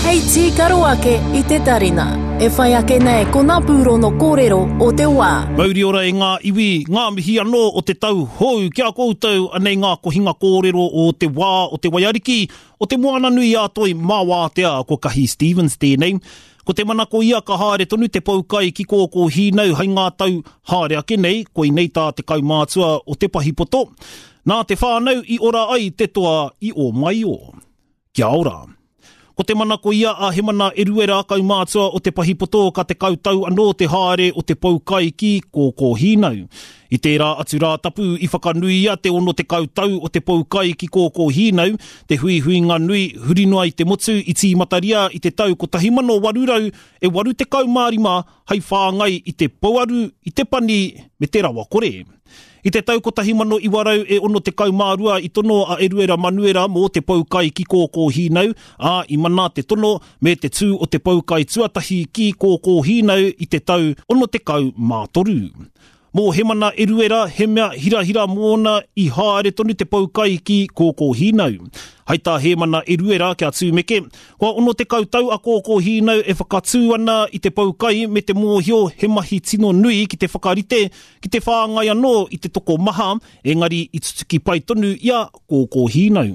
Hei tīkaro ake i te tarina. E whai ake nei ko ngā pūrono kōrero o te wā. Mauri ora e ngā iwi, ngā mihi anō o te tau hou ki a koutou, anei ngā kohinga kōrero o te wā o te waiariki, o te moana nui a Toi mā wātea, ko Kahi Stevens tēnei. Ko te manako ia ka haere tonu te poukai ki Kōkōhīnau hei ngā tau haere ake nei, koinei tā te kaumātua o Te Pahipoto. Nā te whānau i ora ai te toa i Ōmaio. Kia ora. Ko te manako ia a Hemana Eruera, kaumātua o Te Pahipoto ka 10 tau anō te haere o te poukai ki Kōkōhīnau. I tērā atu Rātapu i whakanuia te 60 tau o te poukai ki Kōkōhīnau, te huihuinga nui huri noa i te motu i tīmataria i te tau 1885 hei whāngai i te pouaru, i te pani me te rawakore. I te tau 1962 i tono a Eruera Manuera mō te poukai ki Kōkōhīnau, ā, i mana te tono me te tū o te poukai tuatahi ki Kōkōhīnau i te tau 63. Mō Hemana Eruera, he mea hirahira mōna i haere tonu te poukai ki Kōkōhīnau. Hai tā Hēmana Eruera kia tūmeke, kua 60 tau a Kōkōhīnau e whakatū ana i te poukai me te mōhio he mahi tino nui ki te whakarite, ki te whāngai anō i te tokomaha, engari i tutuki pai tonu i a Kōkōhīnau.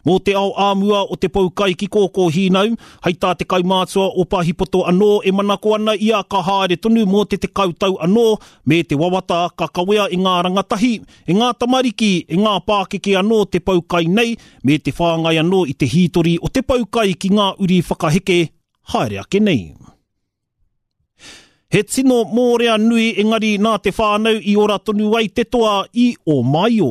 Mō te ao āmua o te poukai ki Kōkōhīnau, hei tā te kaumātua o Pahipoto anō e manako ana ia ka haere tonu mō te 10 tau anō, me te wawata ka kawea e ngā rangatahi, e ngā tamariki, e ngā pākeke anō te poukai nei, me te whāngai anō i te hītori o te poukai ki ngā uri whakaheke haere ake nei. He tino mōrea nui engari nā te whānau i ora tonu ai te toa i Ōmaio.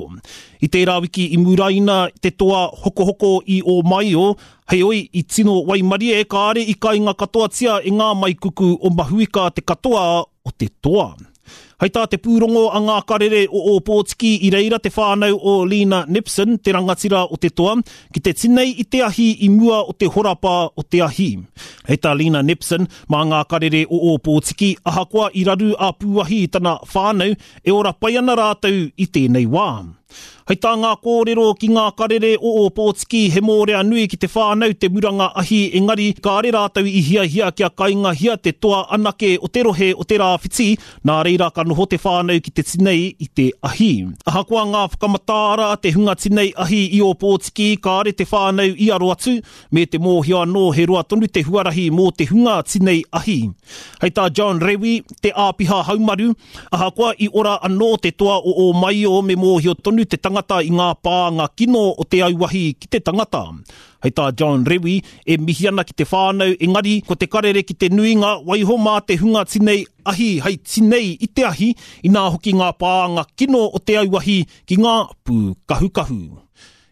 I tērā wiki i muraina te toa hokohoko i Ōmaio, heoi i tino waimarie kāre i kainga katoatia e ngā maikuku o Mahuika te katoa o te toa. Hei tā te pūrongo a ngā karere o Ōpōtiki i reira te whānau o Lena Nipson, te rangatira o te toa, ki te tinei i te ahi i mua o te horapa o te ahi. Hei tā Lena Nipson, mā ngā karere o Ōpōtiki, ahakoa i raru a Pūahi i tana whānau, e ora pai ana rātou i tēnei wā. Hei tā ngā kōrero ki ngā karere o Ōpōtiki he mōrea nui ki te whānau te muranga ahi engari kāre rātou i hiahia kia kaingahia te toa anake o te rohe o te rāwhiti, nā reira ka noho te whānau ki te tinei i te ahi. Ahakoa ngā whakamataara a te hunga tinei ahi i Ōpōtiki kāre te whānau i aro atu, me te mōhio anō he roa tonu te huarahi mō te hunga tinei ahi. Hei tā John Rewi, te āpiha haumaru, Ahakoa i ora anō te toa o Ōmaio me mōhio tonu te tangata i ngā pānga kino o te auahi ki te tangata. Hei tā John Rewi, e mihi ana ki te whānau engari ko te karere ki te nuinga waiho mā te hunga tinei ahi hei tinei i te ahi, inā hoki ngā pānga kino o te auahi ki ngā pūkahukahu.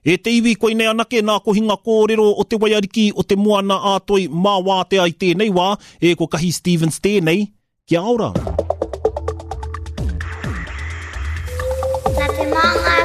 E te iwi koinei anake nā kohinga kōrero o te waiariki o te Moana ā Toi mā wātea i tēnei wā, e ko Kahi Stevens tēnei, Kia ora! Nā te māngai.